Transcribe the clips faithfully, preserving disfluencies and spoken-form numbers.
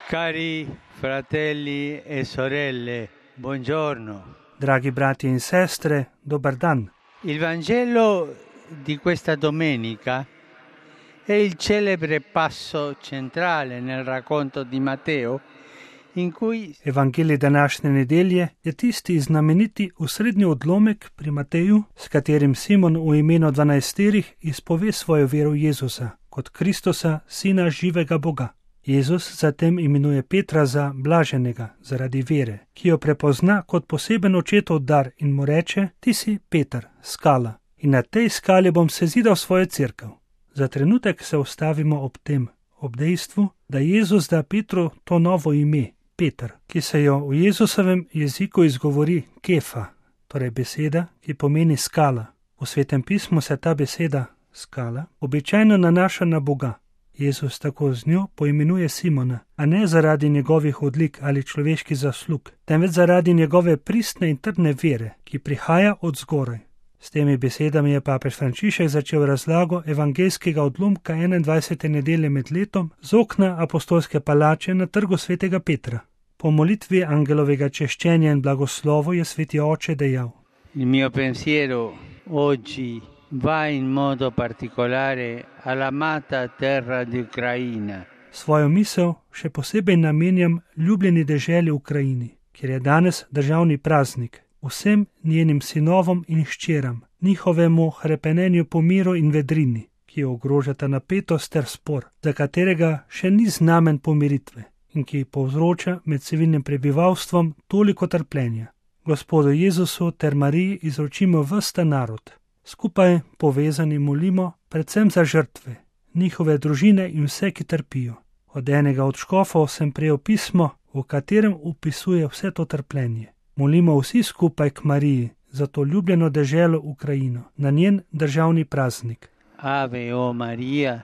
Cari fratelli e sorelle, buongiorno. Dragi brati in sestre, dobar dan. Il Vangelo di questa domenica è il celebre passo centrale nel racconto di Matteo, in cui Evangelij današnje nedelje je tisti znameniti osrednji odlomek pri Mateju, s katerim Simon v imenu dvanajsterih izpove svojo vero v Jezusa, kot Kristusa, sina živega Boga. Jezus zatem imenuje Petra za blaženega zaradi vere, ki jo prepozna kot poseben očetov dar in mu reče: ti si Peter, skala, in na tej skali bom sezidal svojo cerkev. Za trenutek se ustavimo ob tem, ob dejstvu, da Jezus da Petru to novo ime, Peter, ki se jo v Jezusovem jeziku izgovori kefa, torej beseda, ki pomeni skala. V Svetem pismu se ta beseda, skala, običajno nanaša na Boga. Jezus tako z njo poimenuje Simona, a ne zaradi njegovih odlik ali človeških zaslug, temveč zaradi njegove pristne in trdne vere, ki prihaja od zgoraj. S temi besedami je papež Frančišek začel razlago evangeljskega odlomka enaindvajsete nedelje med letom z okna apostolske palače na trgu svetega Petra. Po molitvi angelovega češčenja in blagoslovu je sveti oče dejal: il mio pensiero oggi va in modo particolare all'amata terra di Ucraina. Svojo misel še posebej namenjam ljubljeni deželi Ukrajini, kjer je danes državni praznik, vsem njenim sinovom in hčeram, njihovemu hrepenenju po miru in vedrini, ki ogrožata napetost ter spor, za katerega še ni znamen pomiritve in ki povzroča med civilnim prebivalstvom toliko trpljenja. Gospodu Jezusu ter Mariji izročimo ves ta narod. Skupaj povezani molimo predvsem za žrtve, njihove družine in vse, ki trpijo. Od enega od škofov sem prejel pismo, v katerem opisuje vse to trpljenje. Molimo vsi skupaj k Mariji za to ljubljeno deželo Ukrajino, na njen državni praznik. Ave o Maria,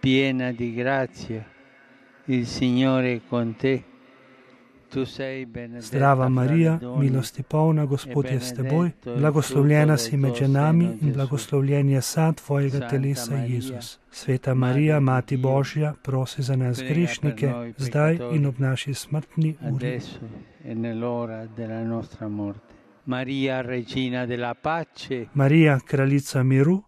piena di grazia, il Signore è con te. Zdrava Marija, milosti polna, Gospod je s teboj, blagoslovljena si med ženami in blagoslovljen je sad tvojega telesa, Jezus. Sveta Marija, Mati Božja, prosi za nas grešnike, zdaj in ob naši smrtni uri. Marija, Regina della Pace, Marija, kraljica miru,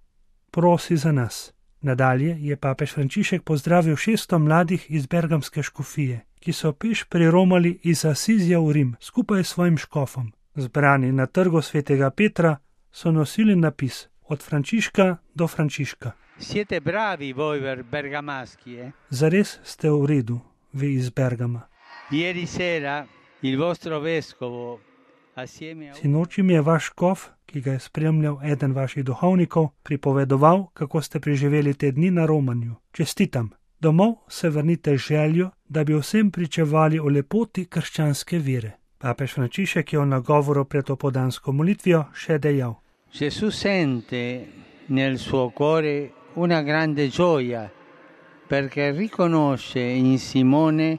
prosi za nas. Nadalje je papež Frančišek pozdravil šeststo mladih iz bergamske škofije, ki so peš priromali iz Asizija v Rim skupaj s svojim škofom. Zbrani na trgu svetega Petra so nosili napis od Frančiška do Frančiška. Siete bravi voi bergamaschi, eh? Zares ste v redu, vi iz Bergama. Ieri sera il vostro vescovo assieme a... Sinoči mi je vaš škof, ki ga je spremljal eden vaših duhovnikov, pripovedoval, kako ste preživeli te dni na romanju. Čestitam. Domov se vrnite z željo, da bi vsem pričevali o lepoti krščanske vere. Papež Frančišek je v nagovoru pred opoldansko molitvijo še dejal: Gesù sente nel suo cuore una grande gioia perché riconosce in Simone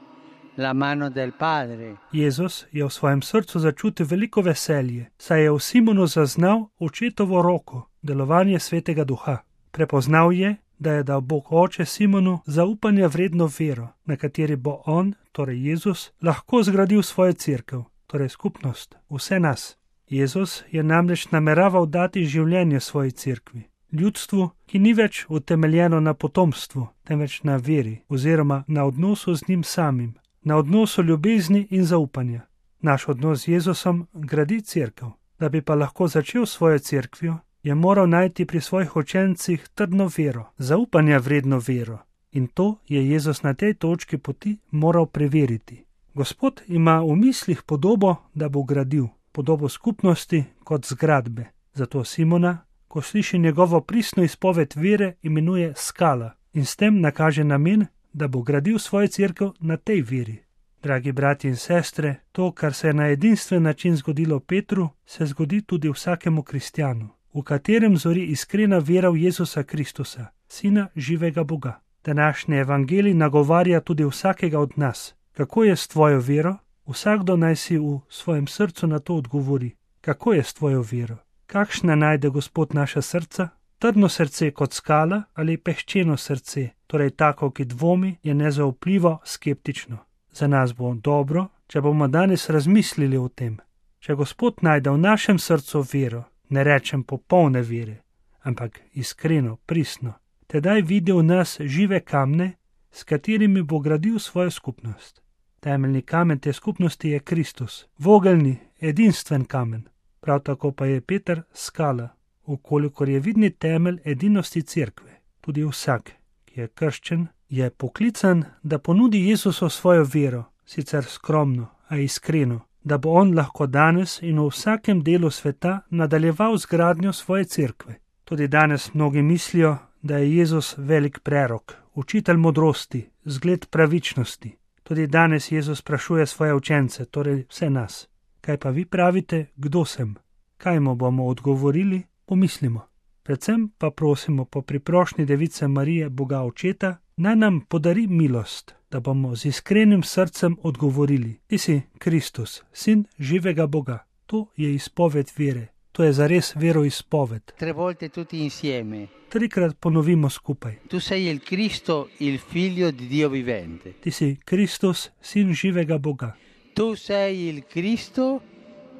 la mano del Padre. Jezus je v svojem srcu začutil veliko veselje, saj je v Simonu zaznal očetovo roko, delovanje svetega duha. Prepoznal je, da je dal Bog oče Simonu zaupanja vredno vero, na kateri bo on, torej Jezus, lahko zgradil svojo cerkev, torej skupnost, vse nas. Jezus je namreč nameraval dati življenje svoji cerkvi, ljudstvu, ki ni več utemeljeno na potomstvu, temveč na veri oziroma na odnosu z njim samim, na odnosu ljubezni in zaupanja. Naš odnos z Jezusom gradi cerkev. Da bi pa lahko začel svojo cerkvijo, je moral najti pri svojih učencih trdno vero, zaupanja vredno vero. In to je Jezus na tej točki poti moral preveriti. Gospod ima v mislih podobo, da bo gradil, podobo skupnosti kot zgradbe. Zato Simona, ko sliši njegovo pristno izpoved vere, imenuje skala in s tem nakaže namen, da bo gradil svojo cerkev na tej veri. Dragi brati in sestre, to, kar se je na edinstven način zgodilo Petru, se zgodi tudi vsakemu kristjanu, v katerem zori iskrena vera v Jezusa Kristusa, Sina živega Boga. Današnji evangelij nagovarja tudi vsakega od nas. Kako je s tvojo vero? Vsakdo naj si v svojem srcu na to odgovori. Kako je s tvojo vero? Kakšna najde Gospod naša srca? Trdno srce kot skala ali pehčeno srce, torej tako, ki dvomi, je nezaupljivo, skeptično. Za nas bo dobro, če bomo danes razmislili o tem. Če Gospod najde v našem srcu vero, ne rečem popolne vere, ampak iskreno, pristno, tedaj vidi v nas žive kamne, s katerimi bo gradil svojo skupnost. Temeljni kamen te skupnosti je Kristus, vogelni, edinstven kamen. Prav tako pa je Peter skala, ukolikor je vidni temelj edinosti cerkve. Tudi vsak, ki je krščen, je poklican, da ponudi Jezusu svojo vero, sicer skromno, a iskreno, da bo on lahko danes in v vsakem delu sveta nadaljeval z gradnjo svoje cerkve. Tudi danes mnogi mislijo, da je Jezus velik prerok, učitelj modrosti, zgled pravičnosti. Tudi danes Jezus sprašuje svoje učence, torej vse nas. Kaj pa vi pravite, kdo sem? Kaj mu bomo odgovorili? Pomislimo. Predvsem pa prosimo po priprošnji Device Marije, Boga Očeta, naj nam podari milost, da bomo z iskrenim srcem odgovorili: Ti si Kristus, sin živega Boga. To je izpoved vere. To je zares veroizpoved. Tre volte tutti insieme. Trikrat ponovimo skupaj. Tu sei il Cristo, il figlio di Dio vivente. Ti si Kristus, sin živega Boga. Tu sei il Cristo,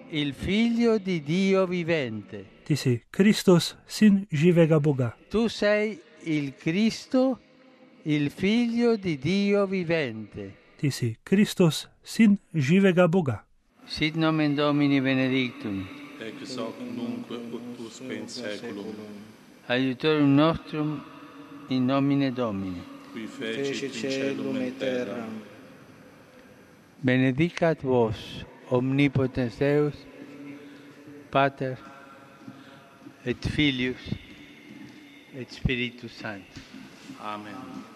il figlio di Dio vivente. Ti si Kristus, sin živega Boga. Tu sei il Cristo, il figlio di Dio vivente. Ti si Kristus, sin živega Boga. Sit nomen Domini benedictum. Ex hoc nunc ut usque in saeculum. Aiutorium nostrum in nomine Domini. Qui fecit caelum et terram. Benedicat vos, omnipotens Deus, Pater, et Filius, et Spiritus Sanctus. Amen.